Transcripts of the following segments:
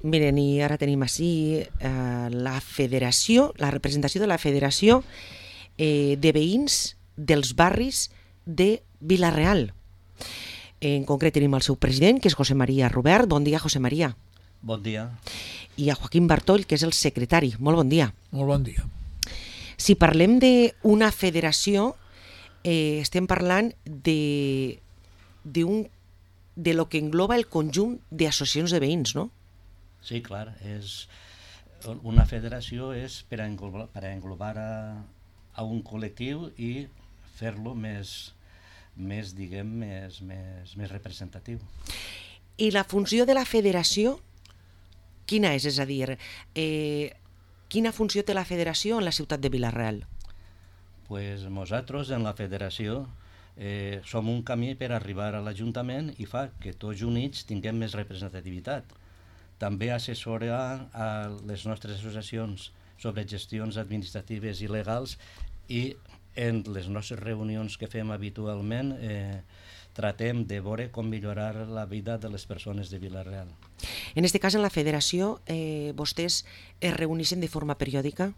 Miren, i ara tenim així la federació, la representació de la Federació de Veïns dels Barris de Vila-real. En concret tenim el seu president, que és José María Rubert. Bon dia, José María. Bon dia. I a Joaquim Bartoll, que és el secretari. Molt bon dia. Molt bon dia. Si parlem d'una federació, estem parlant de lo que engloba el conjunt d'associacions de veïns, no? Sí, clar. Una federació és per a englobar a un col·lectiu i fer-lo més representatiu. I la funció de la federació, quina és? És a dir, quina funció té la federació en la ciutat de Vila-real? Pues nosaltres en la federació som un camí per arribar a l'Ajuntament i fa que tots units tinguem més representativitat. També assessora a les nostres associacions sobre gestions administratives i legals i en les nostres reunions que fem habitualment tratem de veure com millorar la vida de les persones de Vila-real. En aquest cas, en la federació, vostès es reuneixen de forma periòdica?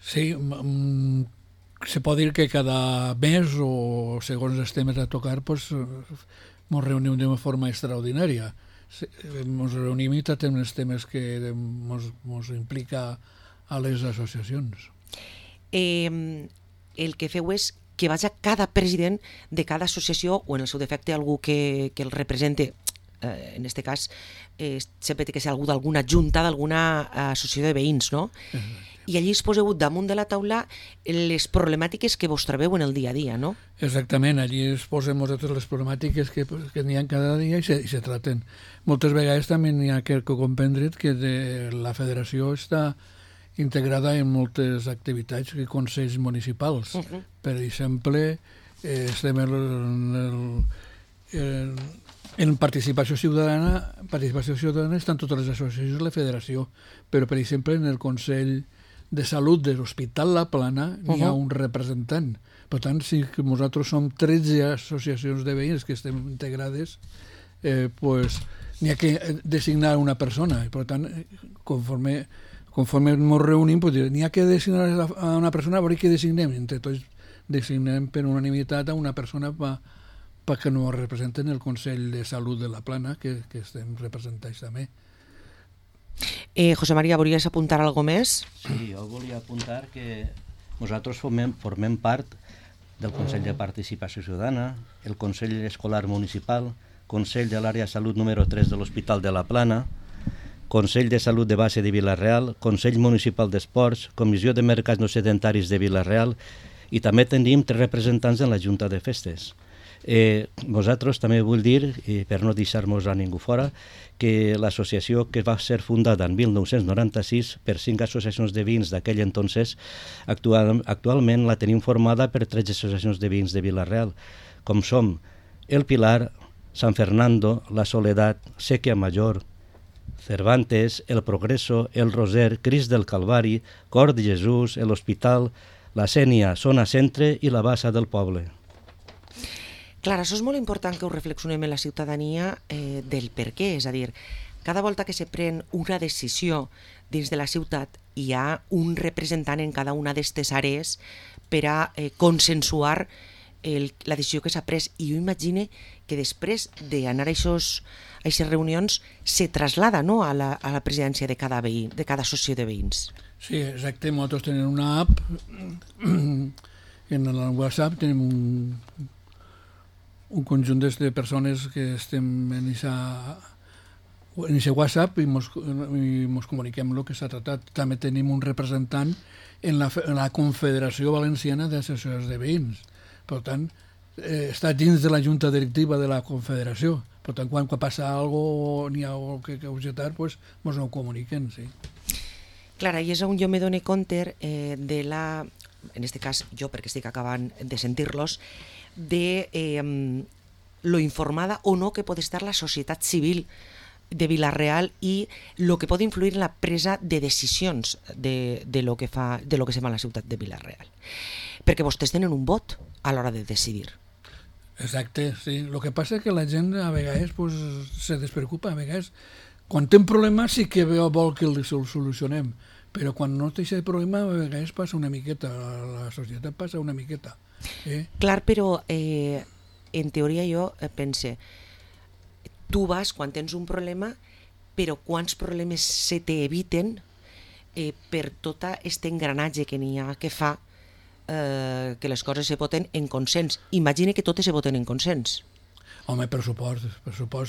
Sí, se pot dir que cada mes o segons els temes a tocar ens reunim de forma extraordinària. Ens reunim i tratem els temes que ens implica a les associacions. El que feu és que vagi cada president de cada associació o en el seu defecte algú que el represente, en aquest cas sempre té que ser algú d'alguna junta, d'alguna associació de veïns, no? I allí es poseu damunt de la taula les problemàtiques que vos trobeu en el dia a dia, no? Exactament, allí es posem nosaltres les problemàtiques que n'hi ha cada dia i se traten. Moltes vegades també n'hi ha que comprendre que la federació està integrada en moltes activitats i consells municipals. Per exemple, estem en participació ciutadana estan totes les associacions de la federació, però per exemple en el Consell de Salut de l'Hospital La Plana n'hi ha un representant. Per tant, si nosaltres som 13 associacions de veïns que estem integrades, n'hi ha que designar una persona. Per tant, conforme ens reunim, n'hi ha que designar a una persona, a veure què designem. Entre tots designem per unanimitat a una persona perquè ens representen el Consell de Salut de La Plana, que estem representats també. José María, volies apuntar alguna cosa més? Sí, jo volia apuntar que nosaltres formem part del Consell de Participació Ciutadana, el Consell Escolar Municipal, Consell de l'Àrea de Salut número 3 de l'Hospital de La Plana, Consell de Salut de Base de Vila-real, Consell Municipal d'Esports, Comissió de Mercats No Sedentaris de Vila-real i també tenim 3 representants en la Junta de Festes. Nosaltres també vull dir, per no deixar-nos a ningú fora, que l'associació que va ser fundada en 1996 per 5 associacions de veïns d'aquell entonces, actualment la tenim formada per 13 associacions de veïns de Vila-real, com som El Pilar, San Fernando, La Soledad, Sèquia Major, Cervantes, El Progreso, El Roser, Crist del Calvari, Cor de Jesús, l'Hospital, la Sénia, Zona Centre i la Bassa del Poble. Clar, això és molt important que ho reflexionem en la ciutadania del per què, és a dir, cada volta que se pren una decisió dins de la ciutat hi ha un representant en cada una d'aquestes àrees per a consensuar la decisió que s'ha pres, i jo imagine que després d'anar a aquestes reunions se traslada, no, a la presidència de cada veí, de cada associació de veïns. Sí, exacte, nosaltres tenim una app, en el WhatsApp tenim un conjunt de persones que estem en aquest WhatsApp i ens comuniquem el que s'ha tratat. També tenim un representant en la Confederació Valenciana d'Associacions de Veïns. Per tant, està dins de la junta directiva de la Confederació. Per tant, quan passa alguna cosa o n'hi ha alguna cosa que objectar, ens ho comuniquen, sí. Clar, i és on jo me dono compte de la, en aquest cas jo perquè estic acabant de sentir-los, de lo informada o no que pot estar la societat civil de Vila-real i lo que pot influir en la presa de decisions de lo que se fa a la ciutat de Vila-real. Perquè vostès tenen un vot a l'hora de decidir. Exacte, sí. El que passa és que la gent a vegades se despreocupa, a vegades Quan té un problema sí que vol que el solucionem, però quan no té aquest problema a vegades passa una miqueta, la societat passa una miqueta. Clar, però en teoria jo pense, tu vas quan tens un problema, però quants problemes se t'eviten per tot aquest engranatge que n'hi ha que fa que les coses se voten en consens. Imagina que totes se voten en consens. Home, pressupost,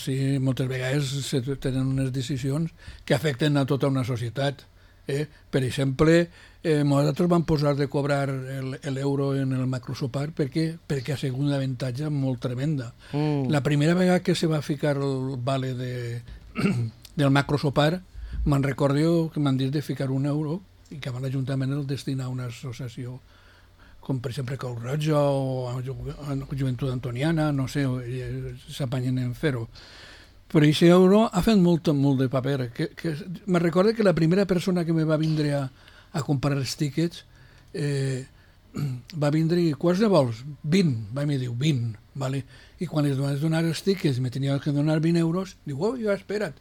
sí, moltes vegades se tenen unes decisions que afecten a tota una societat. Per exemple, nosaltres vam posar de cobrar l'euro en el macrosopar perquè ha sigut un avantatge molt tremenda. La primera vegada que se va ficar el vale del macrosopar, me'n recordo que m'han dit de ficar €1 i que l'Ajuntament el destina a una associació com per exemple Creu Roja o a Joventut Antoniana, no sé, s'apanyen en fer-ho. Però aquest euro ha fet molt de paper. Me recordo que la primera persona que me va vindre a comprar els tíquets va vindre i quants ne vols? 20, va me diu 20, vale? I quan es vaig donar els tíquets me tenia que donar €20, diu, oh, ja, espera't.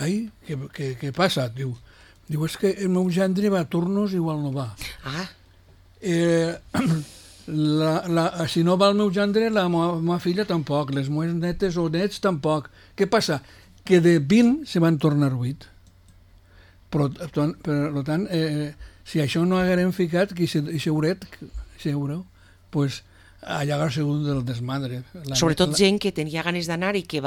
Ai, què passa? Diu, és que el meu gendre va a turnos igual no va. Si no va el meu gendre, la meva filla tampoc, les meves netes o nets tampoc. Què passa? Que de 20 se van tornar 8. Per tant, si això no haguérem ficat, que aquest euro, pues, allà ha sigut del desmadre. Sobretot gent que tenia ganes d'anar i que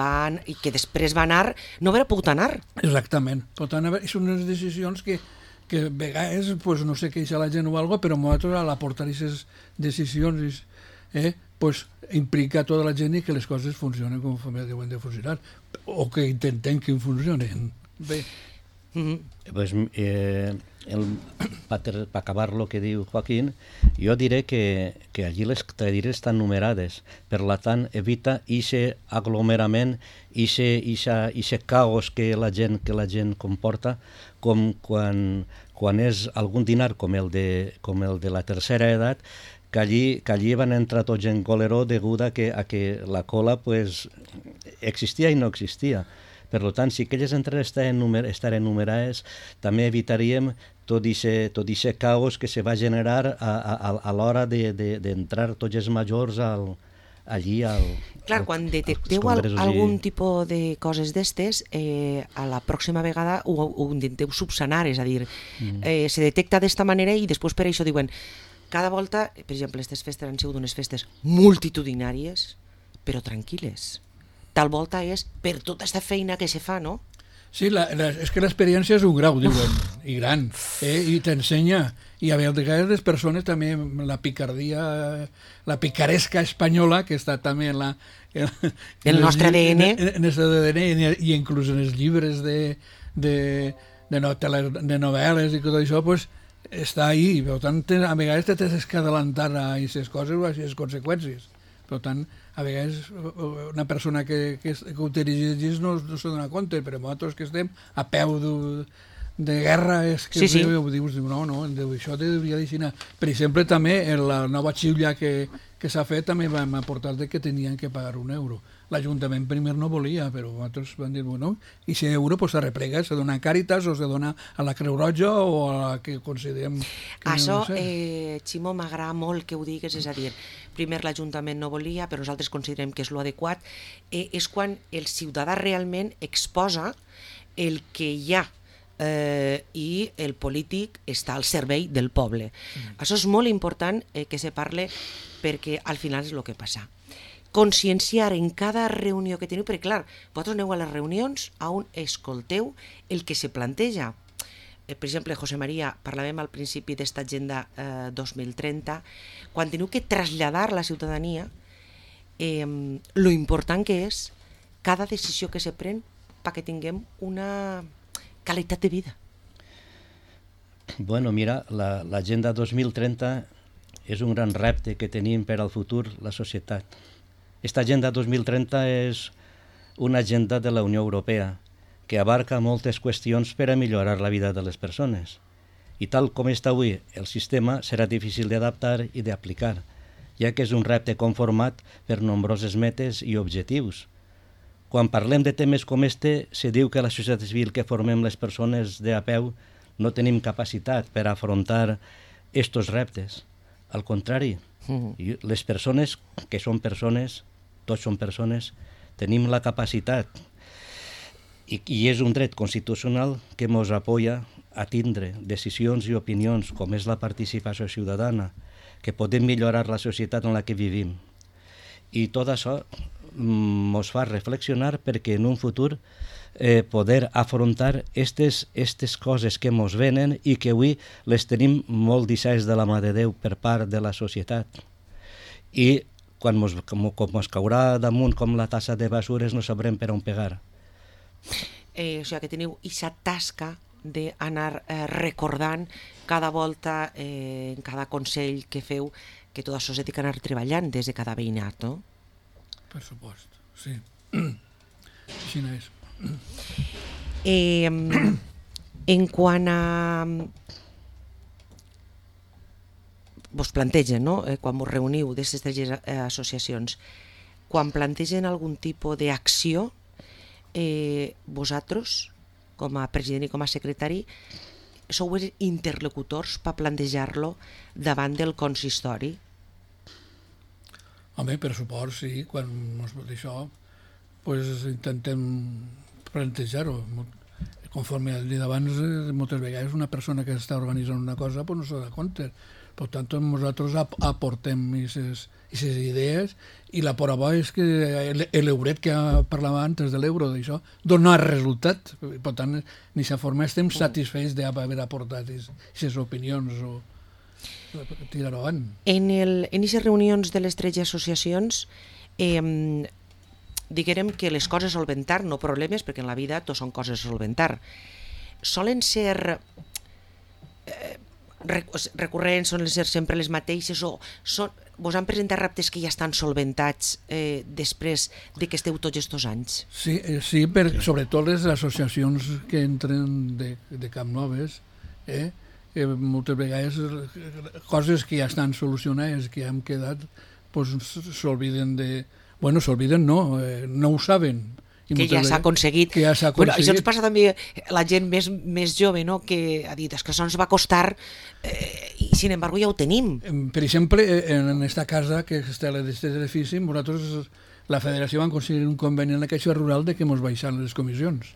després va anar, no haurà pogut anar. Exactament. Per tant, són unes decisions que a vegades, pues, no sé què és la gent o alguna cosa, però nosaltres a l'aportar aquestes decisions implica tota la gent i que les coses funcionen com deuen de funcionar, o que intentem que funcionen. Bé. Pues, per acabar lo que diu Joaquín, jo diré que allí les cadires estan numerades, per tant evita aquest aglomerament, aquest caos que la gent comporta, com quan és algun dinar com el de la tercera edat, que allí van entrar tots en coleró degut a que la cola pues, existia i no existia. Per tant, si aquelles entrades estaren numerades, també evitaríem tot aquest caos que se va generar a l'hora d'entrar tots els majors allí Clar, quan detecteu algun tipus de coses d'estes, a la pròxima vegada ho intenteu subsanar, és a dir, se detecta d'esta manera i després per això diuen cada volta, per exemple, aquestes festes han sigut unes festes multitudinàries, però tranquil·les. Tal volta és per tota aquesta feina que se fa, no? Sí, és que l'experiència és un grau, diuen, i gran, i t'ensenya. I a vegades les persones també, la picardia, la picaresca espanyola, que està també en el nostre ADN. En el ADN i inclús en els llibres de novel·les i tot això, pues, està ahí. Per tant, a vegades t'has que adelantar a aquestes coses o a aquestes conseqüències. Per tant, a vegades una persona que ho dirigeix no se dona compte, però nosaltres que estem a peu de guerra és que ho dius, no, això hauria d'aixina. Per exemple, també la nova xiula que s'ha fet també vam aportar que tenien que pagar €1. L'Ajuntament primer no volia, però nosaltres vam dir, bueno, i si euro se replega, se dona a Càritas o se dona a la Creu Roja o a la que considerem... Això, Ximo, m'agrada molt que ho digues, és a dir, primer l'Ajuntament no volia, però nosaltres considerem que és l'adequat, és quan el ciutadà realment exposa el que hi ha i el polític està al servei del poble. Això és molt important que se parle perquè al final és el que passa. Conscienciar en cada reunió que teniu, perquè clar, vosaltres aneu a les reunions on escolteu el que se planteja. Per exemple, José María, parlàvem al principi d'esta agenda 2030, quan teniu que traslladar a la ciutadania lo important que és cada decisió que se pren perquè tinguem una qualitat de vida. Bueno, mira, l'agenda 2030 és un gran repte que tenim per al futur la societat. Esta agenda 2030 és una agenda de la Unió Europea que abarca moltes qüestions per a millorar la vida de les persones. I tal com està avui, el sistema serà difícil d'adaptar i d'aplicar, ja que és un repte conformat per nombroses metes i objectius. quan parlem de temes com este, se diu que la societat civil que formem les persones de a peu no tenim capacitat per afrontar estos reptes. Al contrari, les persones que són persones, tots són persones, tenim la capacitat i és un dret constitucional que ens apoya a tindre decisions i opinions com és la participació ciutadana, que podem millorar la societat en la que vivim. I tot això ens fa reflexionar perquè en un futur poder afrontar aquestes coses que ens venen i que avui les tenim molt deixades de la mà de Déu per part de la societat. I quan ens caurà damunt com la tassa de basures no sabrem per on pegar. O sigui que teniu aquesta tasca d'anar recordant cada volta, en cada consell que feu, que tot això s'ha d'anar treballant des de cada veïnat, no? Per supost, sí. Així no és. En quant a... Vos plantegen, no? Quan vos reuniu d'aquestes tres associacions, quan plantegen algun tipus d'acció, vosaltres, com a president i com a secretari, sou interlocutors per plantejar-lo davant del consistori? Home, per suport, sí. Quan ens va dir això, pues, intentem plantejar-ho. Conforme he dit abans, moltes vegades una persona que està organitzant una cosa pues, no s'ha de compte. Per tant, nosaltres aportem aquestes idees i la prova és que l'euret que parlava antes de l'euro d'això dona resultat. Per tant, d'aquesta forma estem satisfets d'haver aportat aquestes opinions o tirar-ho avant. En aquestes reunions de les 13 associacions diguem que les coses a solventar, no problemes, perquè en la vida tot són coses a solventar, solen ser recurrents, solen ser sempre les mateixes o vos han presentat reptes que ja estan solventats després de que esteu tots aquests anys? Sí, sobretot les associacions que entren de Camp Noves, moltes vegades coses que ja estan solucionades, que ja han quedat, s'obliden de... Bueno, s'obliden no ho saben. Que ja s'ha aconseguit. Bueno, això ens passa també a la gent més jove, no? Que ha dit, que això ens va costar i sin embargo ja ho tenim. Per exemple, en aquesta casa que està a d'aquest edifici, nosaltres, la federació va aconseguir un conveni en la Caixa Rural de que ens baixaran les comissions.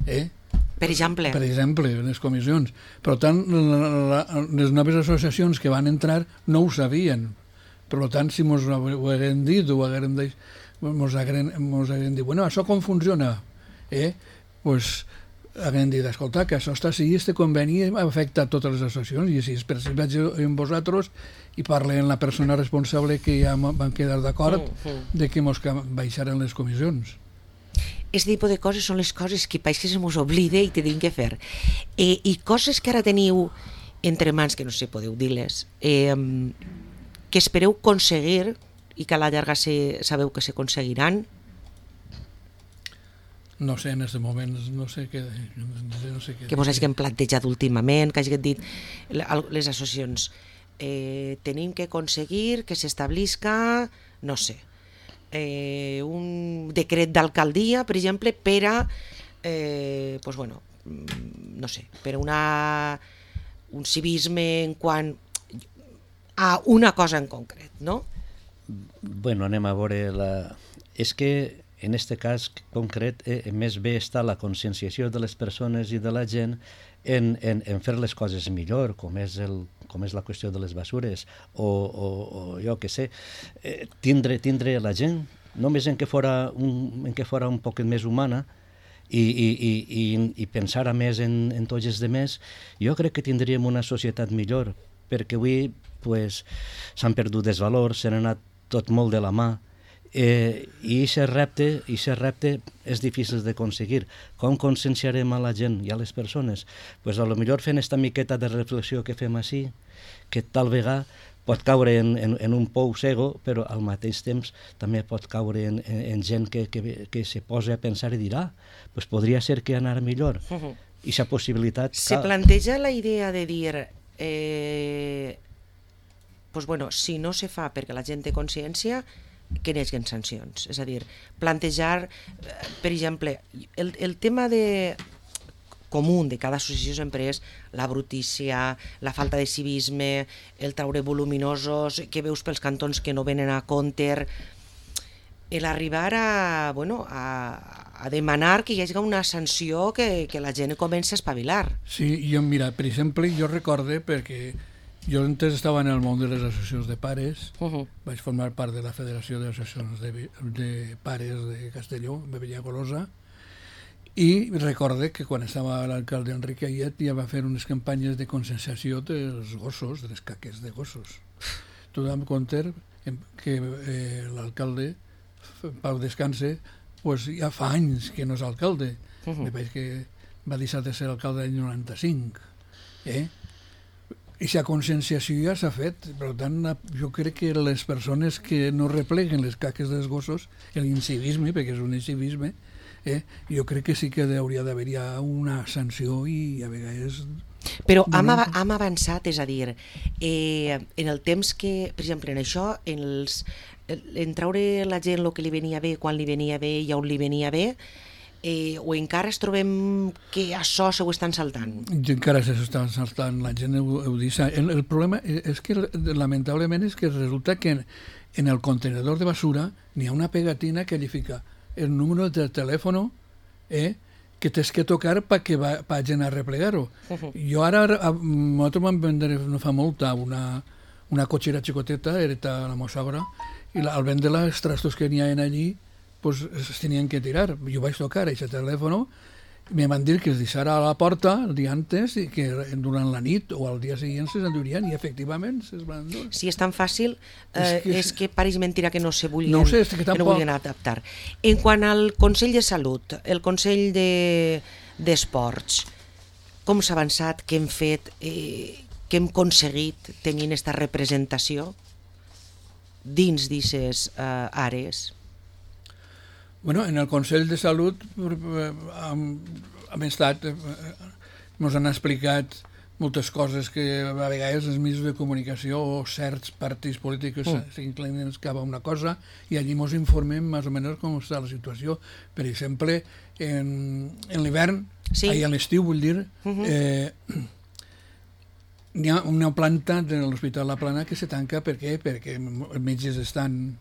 Per exemple? Per exemple, les comissions. Per tant, les noves associacions que van entrar no ho sabien. Per tant, si ens ho haguem dit o haguem dit, bueno, això com funciona? Pues haguem dit, escolta, que això està així, este conveni afecta a totes les associacions, i així, per si vaig amb vosaltres i parlem amb la persona responsable que ja van quedar d'acord de que ens baixaran les comissions. Aquest tipus de coses són les coses que pareix que se mos oblida i tenim que fer. I coses que ara teniu entre mans, que no sé si podeu dir-les, que espereu aconseguir i que a la llarga sabeu que s'aconseguiran? No sé, en aquest moment no sé què... Que vos hagin plantejat últimament, que hagin dit les associacions, tenim que aconseguir que s'establisca, no sé, un decret d'alcaldia, per exemple, per a, pues bueno, no sé, per a un civisme en quant a una cosa en concret, no? Bueno, anem a veure És que en aquest cas concret més bé està la conscienciació de les persones i de la gent en fer les coses millor, com és la qüestió de les basures o jo què sé, tindre la gent només en que fora un poc més humana i pensar a més en tots els demés. Jo crec que tindríem una societat millor, perquè avui s'han perdut els valors, s'han anat tot molt de la mà, i aquest repte és difícil d'aconseguir. Com conscienciarem a la gent i a les persones? Pues a lo millor fent esta miqueta de reflexió que fem així, que tal vegada pot caure en un pou cego, però al mateix temps també pot caure en gent que se posa a pensar i dirà, pues podria ser que anar millor. I aquesta possibilitat... Se planteja la idea de dir... pues bueno, si no se fa perquè la gent té consciència, que n'hi sancions. És a dir, plantejar, per exemple, el tema comú de cada associació sempre és la brutícia, la falta de civisme, el traure voluminosos que veus pels cantons que no venen a compte, l'arribar a demanar que hi hagi una sanció que la gent comença a espavilar. Sí, jo, mira, per exemple, jo recorde, perquè jo antes estava en el món de les associacions de pares, vaig formar part de la Federació d'Associacions de Pares de Castelló, de Villagolosa, i recorde que quan estava l'alcalde Enric Ayet ja va fer unes campanyes de conscienciació dels gossos, de les caques de gossos. Tu dam compte que l'alcalde, Pau Descanse, pues ja fa anys que no és alcalde. Me pareix que va deixar de ser alcalde l'any 95. I aquesta conscienciació ja s'ha fet. Per tant, jo crec que les persones que no repleguen les caques dels gossos, l'incivisme, perquè és un incivisme, jo crec que sí que hauria d'haver-hi una sanció i a vegades... Però hem avançat, és a dir, en el temps que, per exemple, en això, en traure la gent el que li venia bé, quan li venia bé i on li venia bé, o encara es trobem que això se ho estan saltant? Encara se estan saltant, la gent ho deixa. El problema és que, lamentablement, és que resulta que en el contenedor de basura n'hi ha una pegatina que li fica el número de telèfon que tens que tocar perquè vagin a replegar-ho. Jo ara, nosaltres vam vendre no fa molt una cotxera xicoteta, hereta a la meva sogra, i al vendre-la, els trastos que n'hi ha allí, pues es tenien que tirar. Jo vaig tocar aquest telèfon, me van dir que es deixara a la porta el dia antes i que durant la nit o al dia següent se's endurien i efectivament se's van endur. Si és tan fàcil, és que pareix mentira que no se vulguin, no sé, que no vulguin adaptar. En quant al Consell de Salut, el Consell d'Esports, com s'ha avançat, què hem fet, què hem aconseguit tenint aquesta representació dins d'aquestes àrees? Bueno, en el Consell de Salut hem estat, ens han explicat moltes coses que a vegades els mitjans de comunicació o certs partits polítics s'inclinen cap a una cosa i allí ens informem més o menys com està la situació. Per exemple, en l'hivern, a l'estiu vull dir, hi ha una planta de l'Hospital La Plana que se tanca perquè els metges estan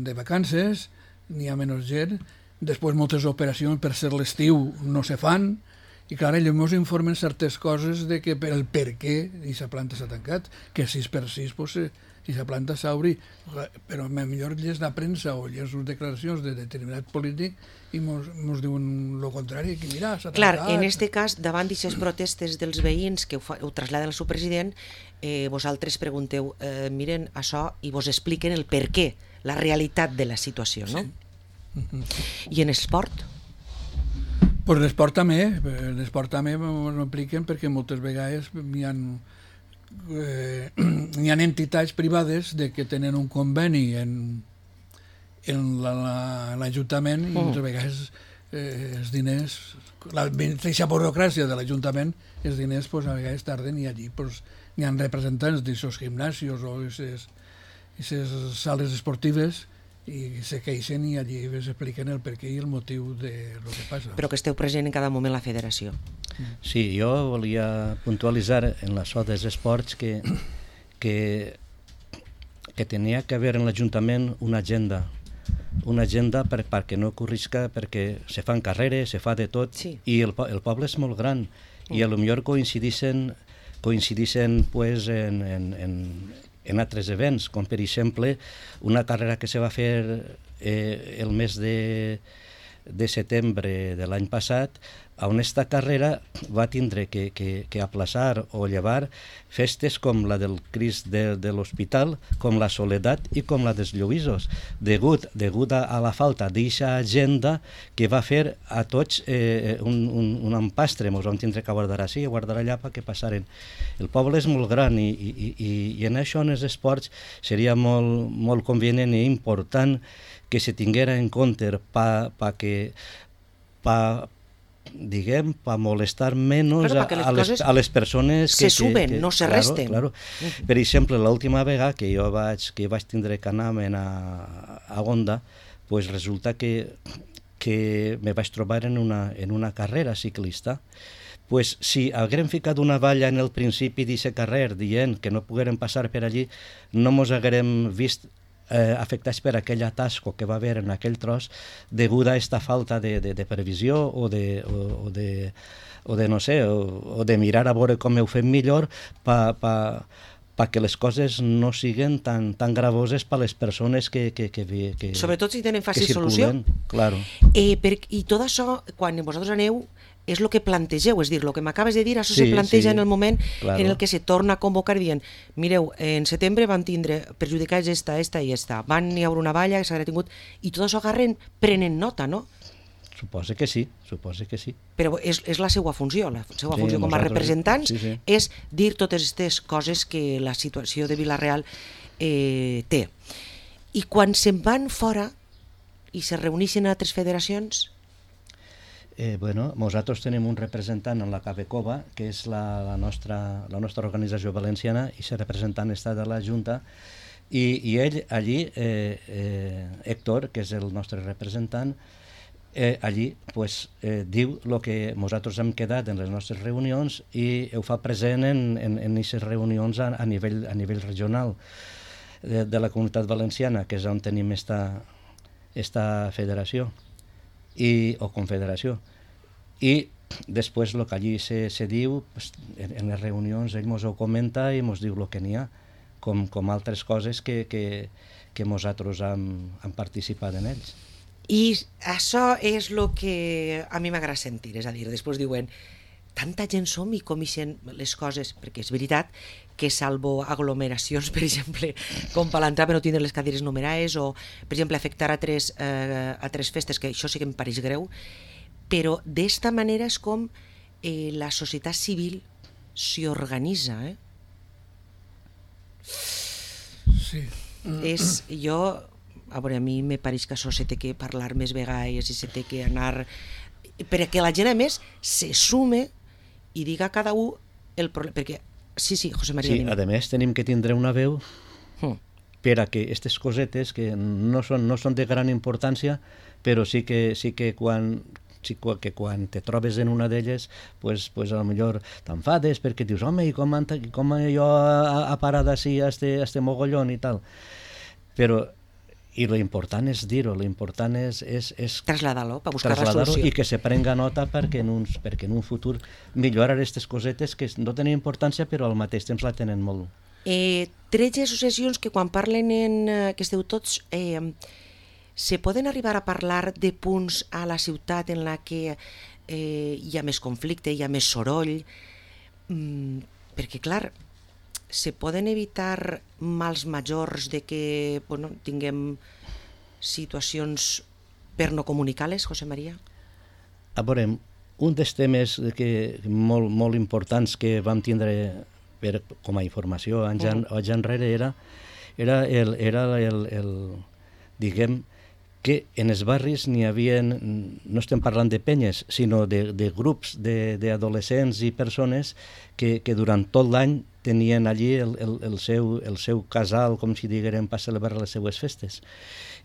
de vacances, n'hi ha menys gent, després moltes operacions per ser l'estiu no se fan, i clar, ells ens informen certes coses de que el per què aquesta planta s'ha tancat, que 6x6 aquesta planta s'obri, però millor lles la premsa o lles les declaracions de determinat polític i ens diuen el contrari, que mira, s'ha tancat. Clar, en aquest cas, davant d'aquestes protestes dels veïns que ho traslladen al seu president, vosaltres pregunteu, miren això i vos expliquen el per què, la realitat de la situació, no? I en esport? Pues l'esport també m'ho expliquen perquè moltes vegades hi ha entitats privades que tenen un conveni en l'Ajuntament i moltes vegades els diners, la mateixa burocràcia de l'Ajuntament, els diners a vegades tarden i allí hi ha representants d'aquests gimnasos o d'aquestes sales esportives i se queixen i allí s'expliquen el perquè i el motiu de lo que passa. Però que esteu present en cada moment la federació. Sí, jo volia puntualitzar en la so dels esports que tenia que haver en l'Ajuntament una agenda perquè no corrisca, perquè se fan carreres, se fa de tot, i el poble és molt gran i potser coincidixen pues, en altres events, com per exemple una carrera que se va fer el mes de setembre de l'any passat, on esta carrera va tindre que aplaçar o llevar festes com la del Crist de l'Hospital, com la Soledat i com la dels Lluïsos, degut a la falta d'aquesta agenda que va fer a tots un empastre. Ens vam tindre que guardar així i guardar allà perquè passaren. El poble és molt gran i en això, en els esports, seria molt convenient i important que se tinguera en compte diguem, per molestar menys claro, a les persones se suben, no se resten. Claro. Per exemple, l'última vegada que jo vaig tindre que anar a Onda, pues resulta que me vaig trobar en una carrera ciclista. Pues si haguérem ficat una valla en el principi d'aquest carrer dient que no poguérem passar per allí, no mos haguérem vist afectats per aquell atasco que va haver en aquell tros degut a aquesta falta de previsió o de no sé, o de mirar a veure com ho fem millor perquè les coses no siguin tan gravoses per les persones que sobretot si tenen fàcil solució. Claro. I tot això, quan vosaltres aneu, és el que plantegeu, és dir, el que m'acabes de dir, això se planteja en el moment en el que se torna a convocar dient, mireu, en setembre van tindre perjudicats esta i esta, van hi haure una valla que s'haurà tingut, i tot això prenen nota, no? Suposo que sí. Però és la seva funció, com a representants, és dir totes aquestes coses que la situació de Vila-real té. I quan se'n van fora i se reuneixen a altres federacions... Nosaltres tenim un representant en la Cabecova, que és la nostra organització valenciana, i aquest representant està de la Junta, i ell allí, Héctor, que és el nostre representant, allí diu el que nosaltres hem quedat en les nostres reunions i ho fa present en aquestes reunions a nivell regional de la Comunitat Valenciana, que és on tenim esta federació o confederació. I després el que allí se diu, en les reunions ell ens ho comenta i ens diu el que n'hi ha, com altres coses que nosaltres hem participat en ells. I això és el que a mi m'agrada sentir, és a dir, després diuen tanta gent som i comixen les coses, perquè és veritat que salvo aglomeracions, per exemple, com Palantra per no tindre les cadires numerades o, per exemple, afectar a tres festes, que això sí que em pareix greu, però d'esta manera és com la societat civil s'hi organitza. Sí. A veure, a mi me pareix que això se té que parlar més vegades i se té que anar... perquè la gent, a més, se sume i diga a cada un el problema. Perquè, sí, José María. Sí, a més, tenim que tindre una veu per a que aquestes cosetes, que no són de gran importància, però sí que quan te trobes en una d'elles, pues a lo millor t'enfades perquè dius, home, i com jo ha parat així a este mogollón i tal. Però i l'important és dir-ho, l'important és traslladar-lo, per buscar la solució. I que se prenga nota perquè en un futur millorar aquestes cosetes que no tenen importància però al mateix temps la tenen molt. 13 associacions que quan parlen que esteu tots, se poden arribar a parlar de punts a la ciutat en la que hi ha més conflicte, hi ha més soroll, perquè clar, se poden evitar mals majors de que tinguem situacions per no comunicar-les, José María? A veure, un dels temes molt importants que vam tindre com a informació anys enrere era diguem, que en els barris n'hi havia, no estem parlant de penyes, sinó de grups d'adolescents i persones que durant tot l'any tenien allí el seu casal, com si diguérem, per celebrar les seues festes.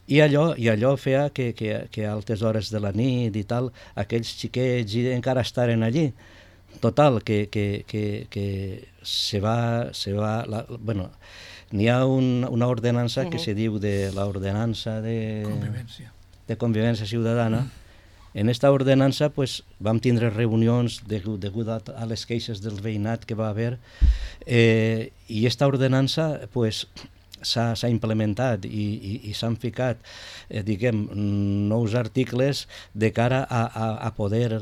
I allò feia que a altes hores de la nit i tal, aquells xiquets encara estaren allí. Total, que se va n'hi ha una ordenança que se diu de l'ordenança de convivència ciutadana. En aquesta ordenança vam tindre reunions degut a les queixes del veïnat que va haver i aquesta ordenança s'ha implementat i s'han ficat nous articles de cara a poder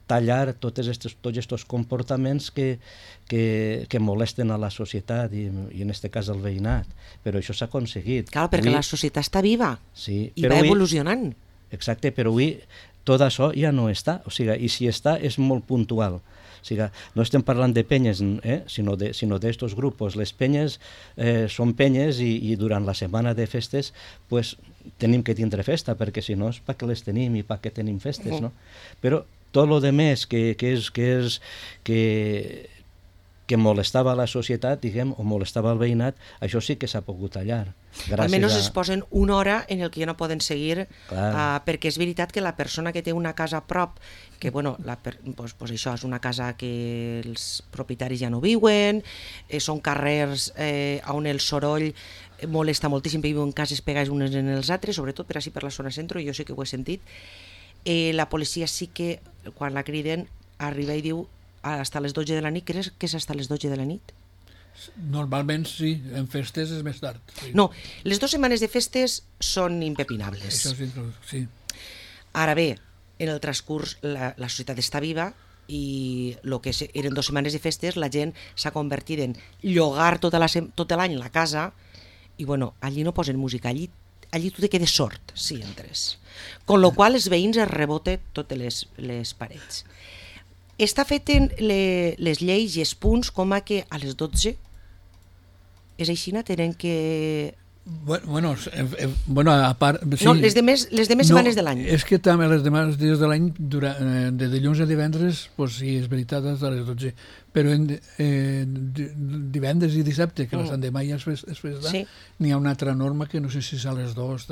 tallar tots aquests comportaments que molesten a la societat i en aquest cas al veïnat. Però això s'ha aconseguit. Clar, perquè la societat està viva i va evolucionant. Exacte, però avui tot això ja no està, o sigui, i si està és molt puntual. O sigui, no estem parlant de penyes, sinó d'estos grupos. Les penyes són penyes i durant la setmana de festes pues, tenim que tindre festa, perquè si no és per què les tenim i per què tenim festes, no? Però tot el que més que molestava la societat, diguem, o molestava el veïnat, això sí que s'ha pogut tallar. Almenys es posen una hora en el que ja no poden seguir, perquè és veritat que la persona que té una casa a prop, que bueno, pues això és una casa que els propietaris ja no viuen, són carrers on el soroll molesta moltíssim, perquè viuen cases pegades unes en els altres, sobretot per així per la zona centre, jo sí que ho he sentit. La policia sí que, quan la criden, arriba i diu hasta les 12 de la nit. Creus que és hasta les 12 de la nit? Normalment sí, en festes és més tard. Sí. No, les 2 setmanes de festes són impepinables. Això sí. Ara bé, en el transcurs la societat està viva i el que eren 2 setmanes de festes la gent s'ha convertit en llogar tot l'any la casa i bueno, allí no posen música, allí tu te quedes sord si entres. Con lo qual els veïns es reboten totes les parets. Està fet en les lleis i els punts com a que a les 12 és així, tenen que... Bueno, a part... Sí. No, les demés setmanes de l'any. És que també les demés dies de l'any, de dilluns a divendres, pues sí, és veritat, a les 12. Però divendres i dissabte, que la Sant Demà ja és festa, sí. N'hi ha una altra norma que no sé si és a les 2,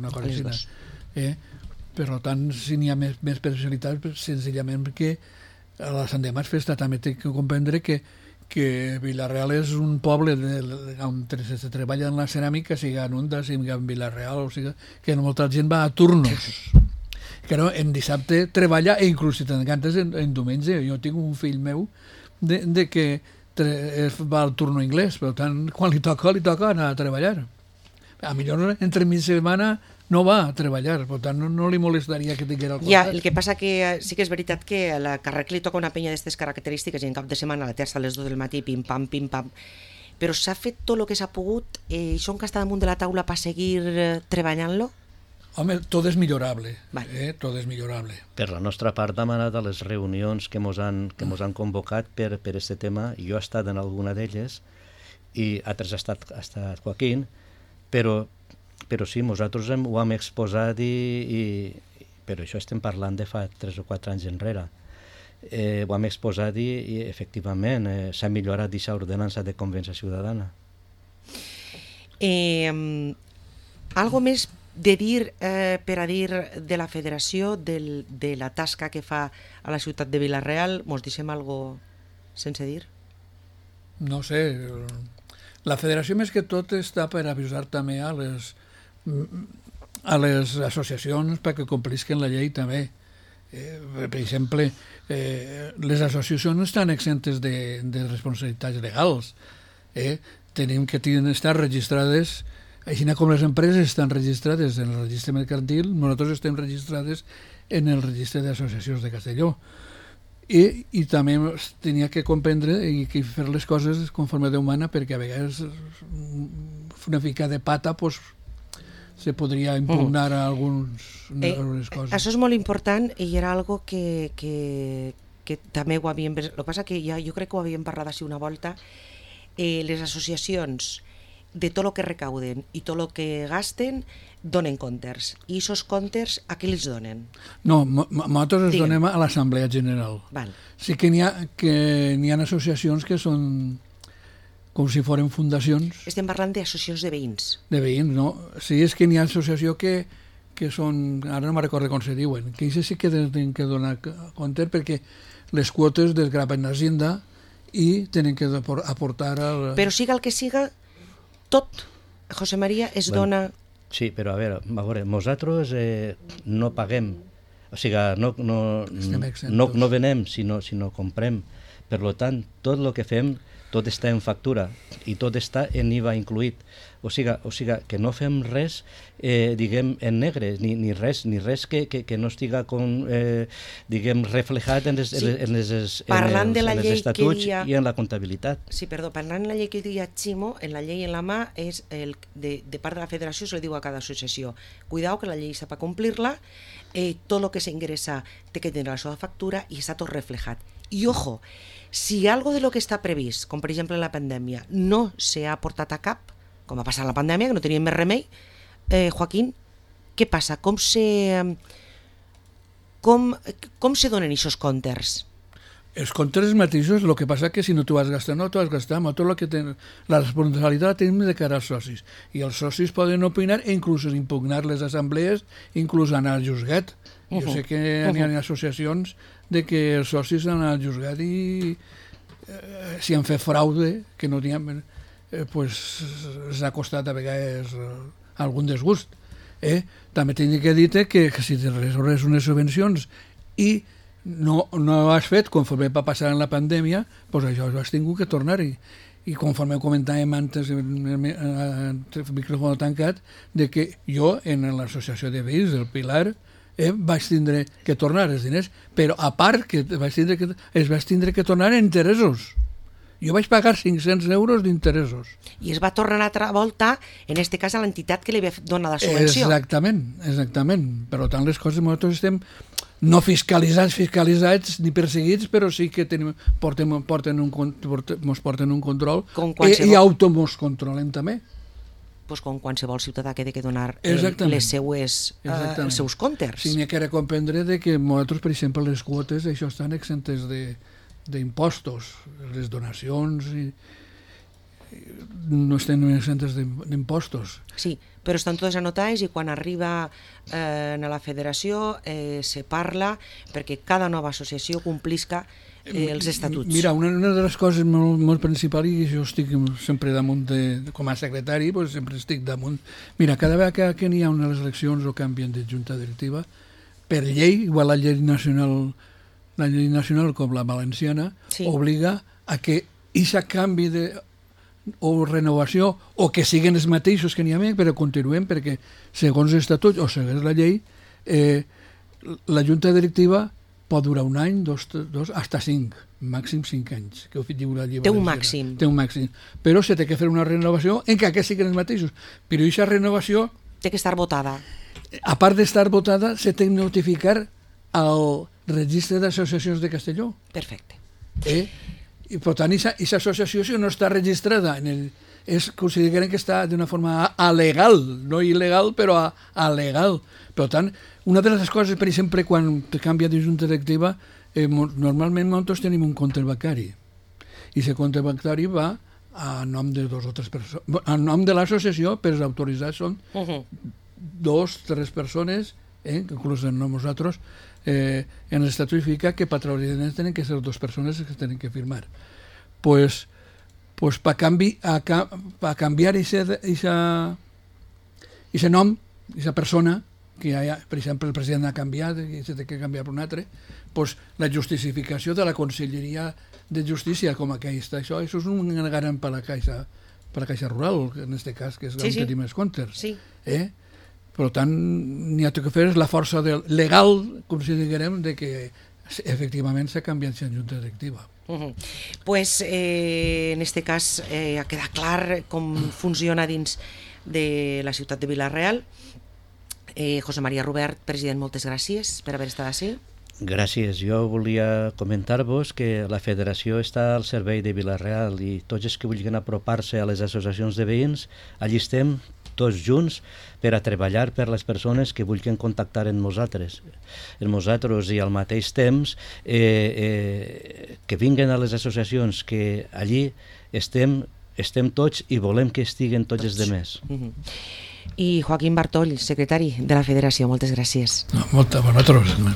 una cosa així. Per tant, si n'hi ha més especialitats, senzillament perquè a la Sant Demà és festa. També té que comprendre que Vila-real és un poble on se treballa en la ceràmica, sigui en Onda, sigui en Vila-real, o sigui que molta gent va a turnos. Que no, en dissabte treballa i inclús si t'encantes en diumenge. Jo tinc un fill meu de que va al turno anglès, per tant, quan li toca anar a treballar. A millor entre mig setmana no va a treballar, per tant no li molestaria que tingués el costat. Ja, el que passa que sí que és veritat que a la carrer li toca una penya d'aquestes característiques i en cap de setmana a la terça a les 2 del matí, pim-pam, però s'ha fet tot el que s'ha pogut i són que està damunt de la taula per seguir treballant-lo? Home, tot és millorable, vale. Tot és millorable. Per la nostra part, demanat a les reunions que mos han convocat per aquest tema, jo he estat en alguna d'elles i altres ha estat Joaquín, però sí, nosaltres ho hem exposat però això estem parlant de fa 3 o 4 anys enrere. Ho hem exposat i efectivament s'ha millorat aquesta ordenança de convivència ciutadana. Algo més de dir per a dir de la federació, de la tasca que fa a la ciutat de Vila-real, mos deixem algo sense dir? No sé, la federació més que tot està per avisar també a les associacions perquè complisquen la llei també. Per exemple, les associacions no estan exemptes de responsabilitats legals. Tenim que estar registrades, així com les empreses estan registrades en el registre mercantil, nosaltres estem registrades en el registre d'associacions de Castelló. I també tenia que comprendre i fer les coses conforme Déu mana, perquè a vegades una mica de pata pues, se podria impugnar a algunes coses. Això és molt important i era algo que també ho havíem... El que passa que jo crec que ho havíem parlat així una volta. Les associacions, de tot el que recauden i tot el que gasten, donen comptes. I aquests comptes a qui els donen? No, nosaltres els donem a l'Assemblea General. Val. Sí que n'hi ha associacions que són com si foren fundacions. Estem parlant d'associacions de veïns. De veïns, no. Sí, és que n'hi ha associacions que són, ara no me'n recordo com se diuen, que això sí que tenen que donar compte perquè les quotes desgraven l'Hacienda i tenen que aportar... Però siga el que siga, tot, José María, es dona... Sí, però a veure, nosaltres no paguem, o sigui, no venem, sinó comprem. Per tant, tot el que fem, tot està en factura i tot està en IVA incluït. O sigui que no fem res, diguem, en negre, ni res que no estiga diguem, reflejat en els estatuts i en la comptabilitat. Sí, perdó, parlant de la llei que diria Ximo, en la llei en la mà, és de part de la federació se li diu a cada associació, cuidao que la llei sap complir-la, tot el que s'ingressa té que tenir la seva factura i està tot reflejat. I ojo, si algo de lo que està previst, com per exemple la pandèmia, no s'ha portat a cap, com ha passat la pandèmia, que no teníem més remei, Joaquín, què passa? Com se donen aquests comptes? Els comptes mateixos, el que passa que si no t'ho vas gastar, no t'ho vas gastar, tot el que la responsabilitat la tenim de cara als socis. I els socis poden opinar e inclús impugnar les assemblees, inclús anar al juzgat. Jo sé que hi ha associacions de que els socis han anat al juzgat i si han fet fraude, que no tinguem... pues s'ha costat a vegades algun desgust. També tinc que dir que si te resolves unes subvencions i no has fet conforme va passar en la pandèmia, doncs això has tingut que tornar-hi. I conforme comentàvem antes en el micròfon tancat, de que jo en l'associació de veïns del Pilar vaig tindre que tornar els diners, però a part que es vaig tindre que tornar en interessos. Jo vaig pagar 500 euros d'interessos. I es va tornar a altra volta, en aquest cas, a l'entitat que li va donar la subvenció. Exactament. Per tant, les coses nosaltres estem no fiscalitzats ni perseguits, però sí que ens porten un control i automos controlem també. Pues com qualsevol ciutadà que ha de donar els seus comptes. Sí, n'hi ha que comprendre que nosaltres, per exemple, les quotes, això estan exemptes d'impostos, les donacions no estan exemptes d'impostos. Sí, però estan totes anotades i quan arriba a la federació se parla perquè cada nova associació complisca els estatuts. Mira, una de les coses molt principals, i jo estic sempre damunt, com a secretari, sempre estic damunt. Mira, cada vegada que n'hi ha unes eleccions o canvien de junta directiva, per llei, igual la llei nacional com la valenciana, obliga a que aquest canvi o renovació, o que siguin els mateixos que n'hi ha, però continuem, perquè segons l'estatut o segons la llei, la junta directiva pot durar un any, dos, hasta 5, màxim 5 anys. Que diu la llei valenciana. Té un màxim. Però s'ha de fer una renovació en què siguin els mateixos. Però aquesta renovació... té que estar votada. A part d'estar votada, s'ha de notificar al registre d'associacions de Castelló. Perfecte. I per tant, aquesta associació, si no està registrada consideren que està d'una forma alegal, no il·legal, però alegal. Per tant, una de les coses, per exemple, quan canvia de junta directiva, normalment nosaltres tenim un compte bancari. I aquest compte bancari va a nom de 2 o 3 persones. A nom de l'associació, però els autoritzats són 2 o 3 persones, inclús en nosaltres, en l'estatut fica que per treure diners tenen que ser 2 persones que tenen que firmar. Pues per canviar aquest nom, aquesta persona, que per exemple el president ha canviat i s'ha de canviar per un altre, pues la justificació de la Conselleria de Justícia com a aquesta, això és un garant per la Caixa Rural, en aquest cas, que és on tenim els comptes. Per tant, n'hi ha que fer la força legal, com si diguem, de que efectivament s'ha canviat la junta directiva. Pues en aquest cas ha quedat clar com funciona dins de la ciutat de Vila-real. José María Rubert, president, moltes gràcies per haver estat ací. Gràcies. Jo volia comentar-vos que la federació està al servei de Vila-real i tots els que vulguin apropar-se a les associacions de veïns, allí estem tots junts per a treballar per les persones que vulguin contactar amb nosaltres. I al mateix temps que vinguen a les associacions, que allí estem tots i volem que estiguen tots els demés. I Joaquín Bartoll, secretari de la Federació, moltes gràcies. Moltes, a vosaltres.